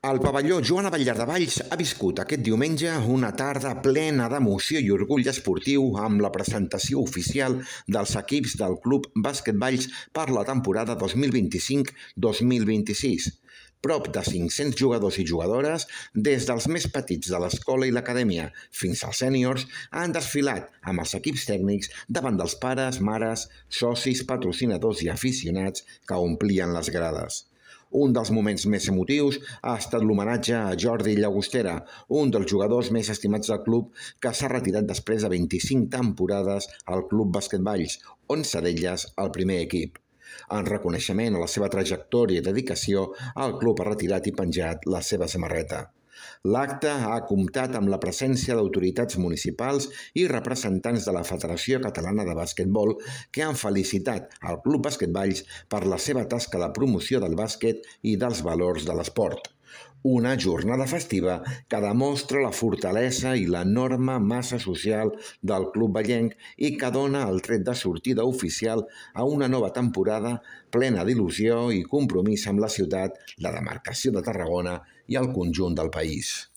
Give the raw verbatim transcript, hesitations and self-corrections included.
El pavelló Joan Abellar de Valls ha viscut aquest diumenge una tarda plena d'emoció i orgull esportiu amb la presentació oficial dels equips del Club Bàsquet Valls per la temporada dos mil vint-i-cinc dos mil vint-i-sis. Prop de cinc-cents jugadors i jugadores, des dels més petits de l'escola i l'acadèmia fins als sèniors, han desfilat amb els equips tècnics davant dels pares, mares, socis, patrocinadors i aficionats que omplien les grades. Un dels moments més emotius ha estat l'homenatge a Jordi Llagostera, un dels jugadors més estimats del club que s'ha retirat després de vint-i-cinc temporades al Club Bàsquet Valls, onze d'elles al primer equip. En reconeixement a la seva trajectòria i dedicació, el club ha retirat i penjat la seva samarreta. L'acte ha comptat amb la presència d'autoritats municipals i representants de la Federació Catalana de Basquetbol que han felicitat al Club Bàsquet Valls per la seva tasca de promoció del bàsquet i dels valors de l'esport. Una jornada festiva que demostra la fortalesa i l'enorme massa social del club vallenc i que dona el tret de sortida oficial a una nova temporada plena d'il·lusió i compromís amb la ciutat, la demarcació de Tarragona i el conjunt del país.